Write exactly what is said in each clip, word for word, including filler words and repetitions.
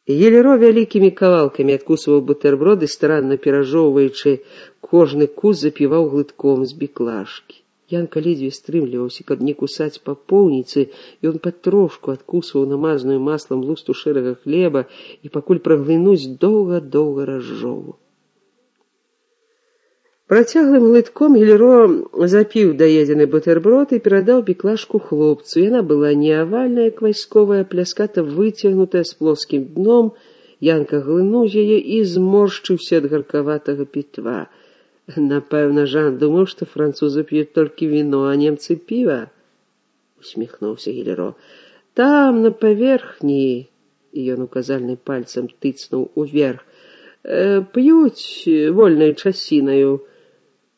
Гелеро вялікімі кавалкамі адкусваў бутэрброды, старанна перажоўваючы кожны кус, запіваў глытком з біклажкі. Янка ледзьве стрымліваўся, каб не кусаць па поўніцы, і он патрошку адкусваў намазаную маслам лусту шэрага хлеба і пакуль праглынуць доўга-доўга разжоўваў. Працяглым глытком Гелеро запіў даедзены бутэрброд і перадаў біклажку хлопцу. Яна была не авальная, як вайсковая, пляската выцягнутая з плоскім дном. Янка глынуў яе і зморшчыўся ад гаркаватага пітва. Напэўна, Жан думаў, што французы п'юць толькі віно, а немцы піва, усміхнуўся Гелеро. Там, на паверхні, і ён указальным пальцам тыцнуў уверх, п'юць вольнай часінаю,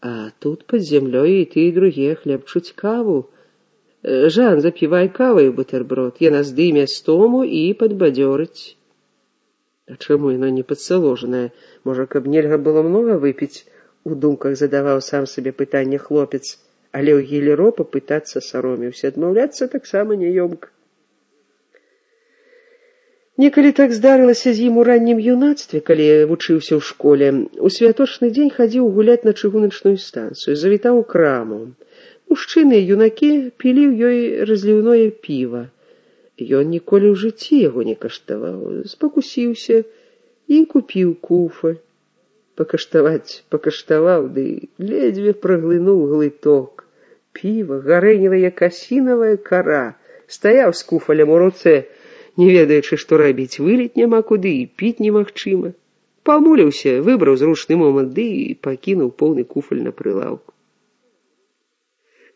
а тут пад зямлёй і ты, і другія хлебчуць каву. Жан, запівай каваю бутэрброд, яна здыме стому і падбадзёрыць. А чаму яна не падсаложаная? Можа, каб нельга было многа выпіць? У думках задаваў сам сабе пытанне хлопец, але ў Гелеро папытацца саромеўся, адмаўляцца таксама няёмка. Некалі так здарылася з ім у раннім юнацтве, калі вучыўся ў школе. У святочны дзень хадзіў гуляць на чыгуначную станцыю, завітаў у краму. Мужчыны і юнакі пілі ў ёй разліўное піва. Ён ніколі ў жыцці яго не каштаваў, спакусіўся і купіў куфаль. Пакаштаваць пакаштаваў, ды ледзьве праглынуў глыток. Піва гарэніла, як асінавая кара. Стаяў з куфалем у руцэ, не ведаючы, што рабіць, выліць няма куды і піць немагчыма. Памуліўся, выбраў зручны момант, ды і пакінуў поўны куфаль на прылаўку.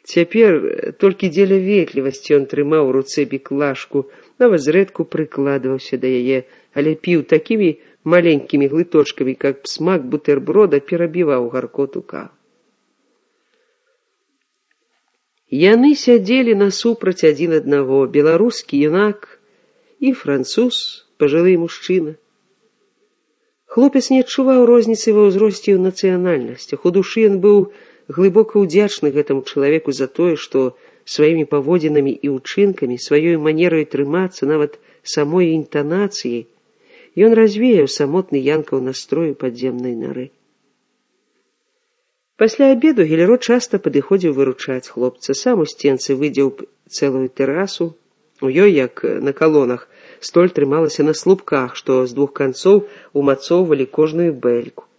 Цяпер толькі дзеля ветлівасці ён трымаў у руцэ біклажку, нават зрэдку прыкладваўся да яе, але піў такімі маленькімі глыточкамі, каб смак бутэрброда перабіваў гаркоту кавы. Яны сядзелі насупраць адзін аднаго, беларускі юнак і француз, пажылы мужчына. Хлопец не адчуваў розніцы ва ўзросце і ў нацыянальнасцях. У душы ён быў глыбока ўдзячны гэтаму чалавеку за тое, што сваімі паводзінамі і ўчынкамі, сваёй манерай трымацца, нават самой інтанацыяй, ён развеяў самотны Янкаў настрою падземнай нары. Пасля абеду Гелеро часта падыходзіў выручаць хлопца. Сам у сценцы выдзеў цэлую тэрасу. У ёй, як на калонах, столь трымалася на слупках, што з двух канцоў умацоўвалі кожную бэльку.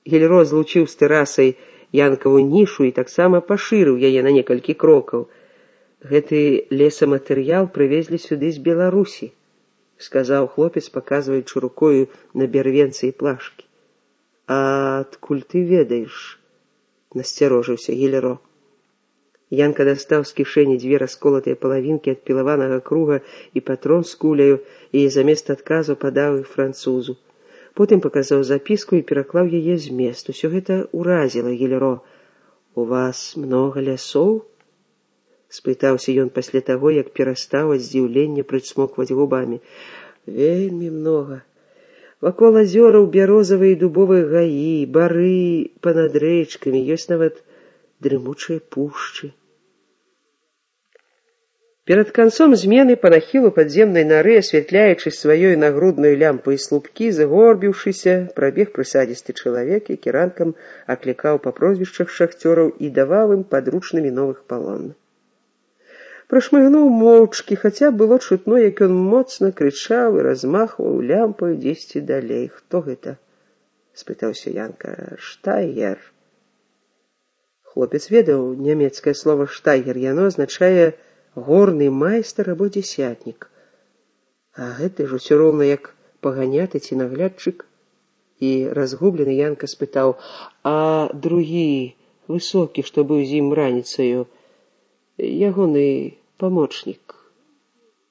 Гелеро злучыў з тэрасай Янкаву нішу і таксама пашырыў яе на некалькі крокаў. Гэты лесаматэрыял прывезлі сюды з Беларусі, сказаў хлопец, паказваючы рукою на бярвенцы і плашкі. А адкуль ты ведаеш? Насцярожыўся Гелеро. Янка дастаў з кішэні дзве расколатыя палавінкі ад пілаванага круга і патрон з куляю, і замест адказу падаў іх французу. Потым паказаў запіску і пераклаў яе змест. Усё гэта ўразіла Гелеро. У вас многа лясоў? Спытаўся ён пасля таго, як перастаў ад здзіўлення прыцмокваць губамі. Вельмі многа. Вакол азёраў бярозавыя і дубовыя гаі, бары панад рэчкамі, ёсць нават дрымучыя пушчы. Перад канцом змены па нахілу падземнай нары, асвятляючы сваёй нагруднай лямпай слупкі, загорбіўшыся, прабег прысадзісты чалавек, які ранкам аклікаў па прозвішчах шахцёраў і даваў ім падручнымі новых палонных. Прашмыгнуў моўчкі, хаця было чутно, як ён моцна крычаў і размахваў лямпаю дзесьці далей. Хто гэта? Спытаўся Янка. Штайгер. Хлопец ведаў нямецкае слова штайгер. Яно азначае горны майстар або дзесятнік. А гэты ж усё роўна як паганяты ці наглядчык. І разгублены Янка спытаў, а другі, высокі, што быў з ім раніцаю, ягоны памочнік,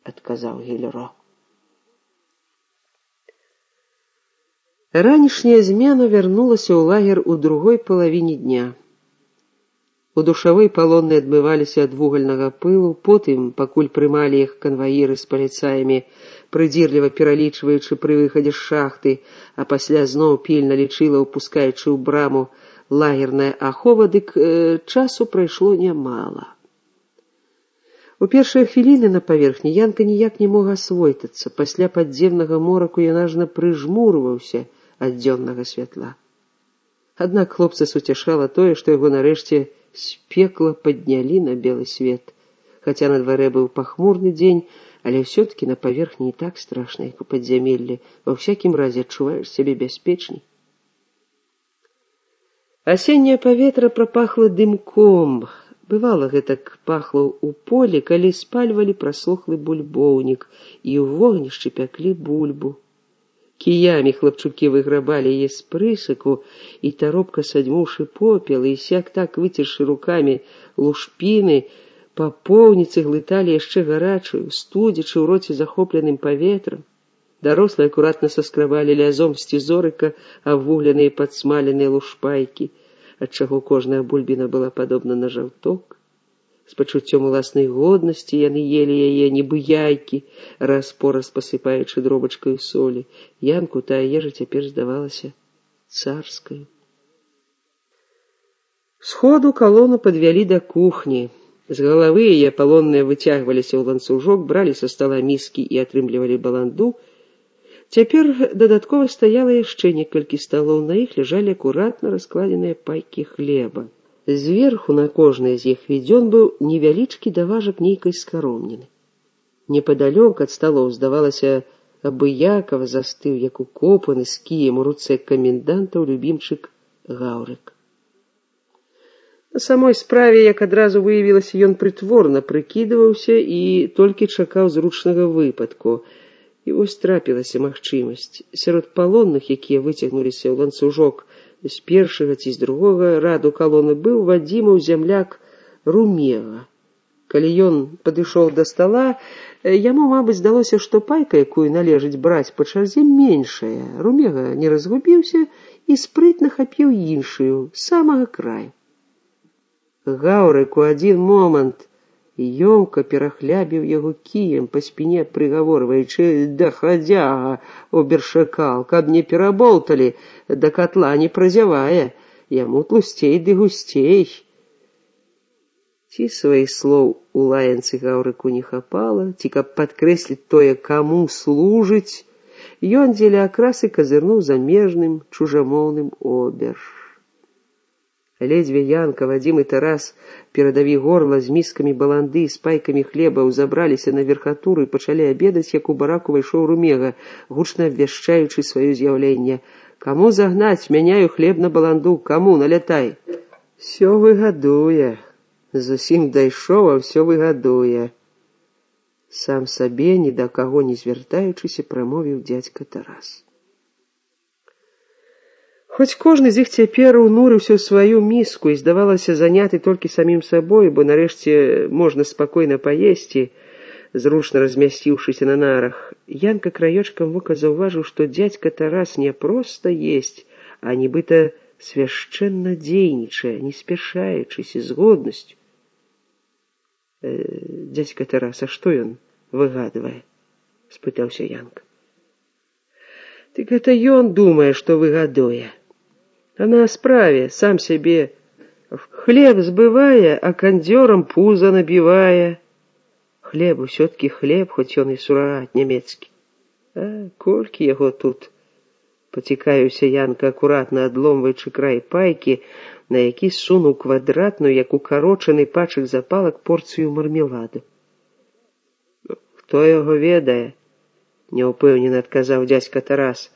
адказаў Гелеро. Ранішняя змена вярнулася ў лагер у другой палавіне дня. У душавой палонныя адмываліся ад вугальнага пылу, потым, пакуль прымалі іх канваіры з паліцаямі, прыдзірліва пералічваючы пры выхадзе з шахты, а пасля зноў пільна лічыла, упускаючы ў браму лагерная ахова, дык э, часу прайшло нямала. У першыя хвіліны на паверхні Янка ніяк не мог асвойтацца. Пасля падземнага мораку ён ажна прыжмурваўся ад дзённага святла. Аднак хлопца суцяшала тое, што яго нарэшце з пекла паднялі на белы свет. Хаця на дварэ быў пахмурны дзень, але ўсё-такі на паверхні не так страшна, як у падзямеллі. Ва ўсякім разе адчуваеш сябе бяспечней. Асенняе паветра прапахла дымком. Бывала, гэтак пахла ў полі, калі спальвалі прасохлы бульбоўнік і ў вогнішчы пяклі бульбу. Кіямі хлапчукі выграбалі яе з прысыку, і таропка садзьмуўшы попел, і сяк так выцершы рукамі лушпіны, папоўніцы глыталі яшчэ гарачую, студзячы ў роце захопленым паветрам. Дарослыя акуратна саскрабалі лязом сцізорыка абвугленыя падсмаленыя лушпайкі, адчаго кожная бульбіна была падобна на жаўток. З пачуццём уласнай годнасці яны елі яе, нібы яйкі, раз-пораз пасыпаючы дробачкаю солі. Янку тая ежа цяпер здавалася царскаю. Сходу калону падвялі да кухні. З галавы яе палонныя выцягваліся ў ланцужок, бралі са стала міскі і атрымлівалі баланду. Цяпер дадаткова стаяла яшчэ некалькі сталоў, на іх ляжалі акуратна раскладзеныя пайкі хлеба. Зверху на кожнай з іх відзён быў невялічкі даважак нейкай скаромніны. Непадалёк ад сталоў, здавалася, абыякава застыў, як укопаны з кіем у руцэ камендантаў любімчык Гаўрык. На самой справе, як адразу выявілася, ён прытворна прыкідваўся і толькі чакаў зручнага выпадку. І вось трапілася магчымасць. Сярод палонных, якія выцягнуліся ў ланцужок з першага ці з другога раду калоны, быў Вадзімаў зямляк Румега. Калі ён падышоў да стала, яму, мабыць, здалося, што пайка, якую належыць браць па чарзе, меншая. Румега не разгубіўся і спрытна хапіў іншую, з самага краю. Гаўрык у адзін момант ёмка перахлябіў яго кіем па спіне, прыгаворваючы: «Да хадзяга, обершакал, каб не пераболталі, да катла не празявае, яму тлусцей ды гусцей». Ці сваіх слоў у лаянцы Гаўрыку не хапала, ці каб падкрэсліць тое, каму служыць, ён дзеля акрасы казырнуў замежным чужамоўным оберш. Ледзьве Янка, Вадзім і Тарас, перадаві горла з міскамі баланды, з пайкамі хлеба, узабраліся на верхатуру і пачалі абедаць, як у бараку вайшоў Румега, гучна абвяшчаючы сваё з'яўленне. «Каму загнаць? Мяняю хлеб на баланду. Каму? Налятай!» «Всё выгадуе. Зусім дайшоў, а всё выгадуе». Сам сабе, ні да каго не звяртаючыся, прамовіў дзядзька Тарас. Хоць кожны з іх цяпер унурыўся ў сваю міску і здавалася заняты толькі самім сабой, бо нарэшце можна спакойна паесці, зручна размясціўшыся на нарах, Янка краёчкам вока заўважыў, што дзядзька Тарас не проста есць, а нібыта свяшчэнна дзейнічае, не спяшаючыся, з годнасцю. Э, «Дзядзька Тарас, а што ён выгадвае?» — спытаўся Янка. «Дык гэта ён думае, што выгадуе. А на справе сам сябе хлеб збывае, а кандзёрам пуза набівае. Хлеб усё-ткі хлеб, хоць ён і сурагат нямецкі. А колькі яго тут?» Пацікаюся Янка, акуратна адломваючы край пайкі, на які сунуў квадратную, як укарочаны пачак запалак, порцыю мармеладу. «Хто яго ведае?» — няўпэўнена адказаў дзядзька Тарас.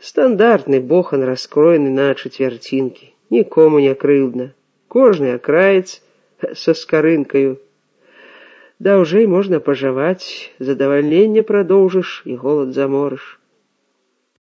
«Стандартны бохан, раскроены на чацвярцінкі. Нікому не крыўдна. Кожны акраец са скарынкаю. Даўжэй можна пажаваць, задавальненне прадоўжыш і голад заморыш.